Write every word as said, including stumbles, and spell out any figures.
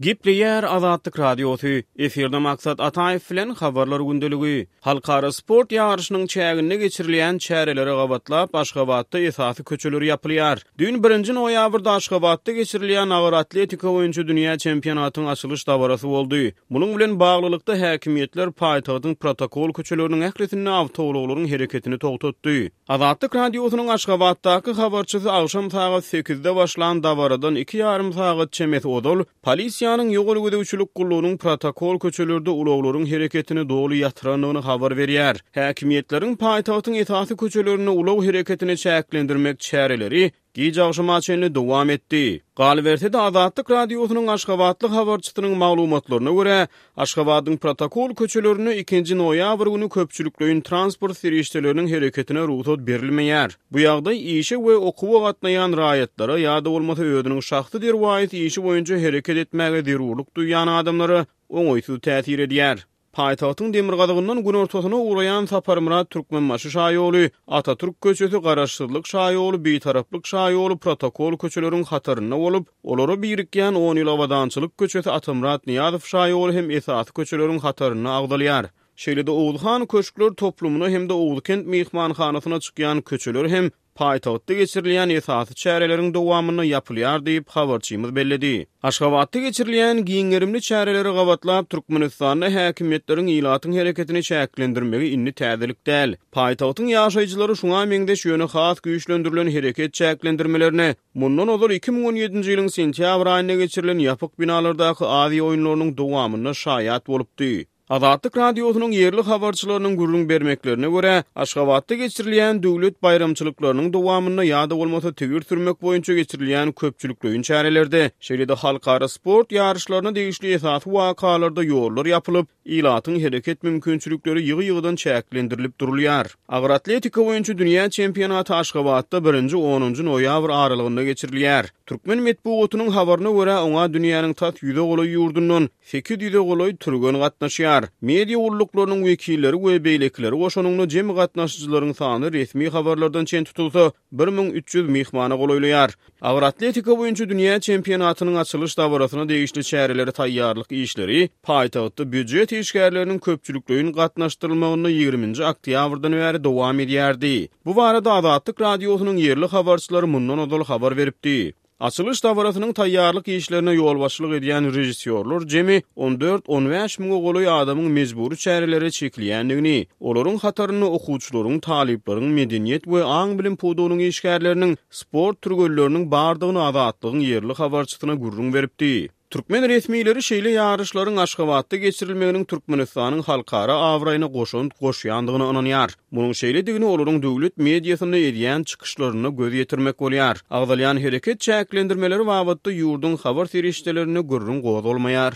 Gepleýär Azatlyk Radiosy, efirde Maksat Ataýew bilen Habarlar gündeligi. Halkara sport ýaryşynyň çäginde geçirilýän çärelere gabatlap, Aşgabatda esasy köçeler ýapylýar. Düýn birinji noýabrda Aşgabatda geçirilýän agyr atletika boýunça dünýä çempionatyň açylyş dabarasy boldy. Munuň bilen baglylykda, häkimiýetler paýtagtyň protokol köçeleriniň ählisinde awtoulaglaryň hereketini togtatdy. Azatlyk Radiosynyň Aşgabatdaky habarçysy agşam sagat sekizde başlan dabaradan iki ýarym sagat çemesi ozal polisiýanyň ýol gözegçilik gullugynyň protokol köçelerde ulaglaryň hereketini doly ýatyrandygyny habar berýär. Häkimiýetleriň paýtagtyň esasy köçelerinde ulag hereketini çäklendirmek çäreleri giç agşama çenli dowam etdi. Galyberse-de, Azatlyk Radiosynyň aşgabatly habarçysynyň maglumatlaryna görä, Aşgabadyň protokol köçelerinde ikinji noýabr güni köpçülikleýin transport serişdeleriniň hereketine rugsat berilmeýär. Bu ýagdaý işe we okuwa gatnaýan raýatlara ýa-da bolmasa özüniň şahsy derwaýys işi boýunça hereket etmäge zerurlyk duýýan adamlara oňaýsyz täsir edýär. Paýtagtyň demirgazygyndan günortasyna ugraýan Saparmyrat Türkmenbaşy şaýoly, Atatürk köçesi, Garaşsyzlyk şaýoly, Bitaraplyk şaýoly protokol köçeleriň hatarynda bolup, olara birikýän On ýyl abadançylyk köçesi, Atamyrat Nyýazow şaýoly hem esasy köçeleriň hatarynda agzalýar. Şeýle-de Oguzhan köşkler toplumyna hem-de Oguzkent myhmanhanasyna çykýan köçeler hem paýtagtda geçirilýän esasy çäreleriň dowamynda ýapylýar diýip, habarçymyz belledi. Aşgabatda geçirilýän giň gerimli çärelere gabatlap, Türkmenistanda häkimiýetleriň ilatyň hereketini çäklendirmegi indi täzelik däl. Paýtagtyň ýaşaýjylary şuňa meňzeş, ýöne has güýçlendirilen hereket çäklendirmelerine mundan ozal iki müň on ýedinji ýylyň sentýabr aýynda geçirilen ýapyk binalardaky Aziýa oýunlarynyň dowamynda şaýat bolupdy. Azatlyk Radiosynyň ýerli habarçylarynyň gürrüň bermeklerine görä, Aşgabatda geçirilýän döwlet baýramçylyklarynyň dowamynda ýa-da bolmasa tigir sürmek boýunça geçirilýän köpçülikleýin çärelerde, şeýle-de halkara sport ýaryşlaryna degişli esasy wakalarda ýollar ýapylyp, ilatyň hereket mümkinçilikleri ýygy-ýygydan çäklendirilip durulýar. Agyr atletika boýunça dünýä çempionaty Aşgabatda birinji-onunjy noýabr aralygynda geçirilýär. Türkmen metbugatynyň habaryna görä, oňa dünýäniň tas ýüze golaý ýurdundan sekiz ýüze golaý türgen gatnaşýar. Media gulluklarynyň wekilleri we beýlekileri goşanynda jemi gatnaşyjylaryň sany resmi habarlardan çen tutulsa, bir müň üç ýüz myhmana golaýlaýar. Agyr atletika boýunça dünýä çempionatynyň açylyş dabarasyna degişli çärelere taýýarlyk işleri paýtagtda býujet işgärleriniň köpçülikleýin gatnaşdyrylmagynda ýigriminji oktýabrdan bäri dowam edýärdi. Bu barada Azatlyk Radiosynyň ýerli habarçylary mundan ozal habar beripdi. Açylyş dabarasynyň taýýarlyk işlerine ýolbaşçylyk edýän režissýorlar jemi on dört-on bäş müňe golaý adamyň mejbury çärelere çekilýändigini, olaryň hatarynda okuwçylaryň, talyplaryň, medeniýet we aň-bilim pudagynyň işgärleriniň, sport türgenleriniň bardygyny Azatlygyň ýerli habarçysyna gürrüň beripdi. Türkmen resmileri şeýle ýaryşlaryň Aşgabatda geçirilmeginiň Türkmenistanyň halkara abraýyna goşant goşýandygyna ynanýar. Munuň şeýledigini olaryň döwlet mediasynda edýän çykyşlarynda göz ýetirmek bolýar. Agzalýan hereket çäklendirmeleri babatda ýurduň habar serişdelerinde gürrüň gozgalmaýar.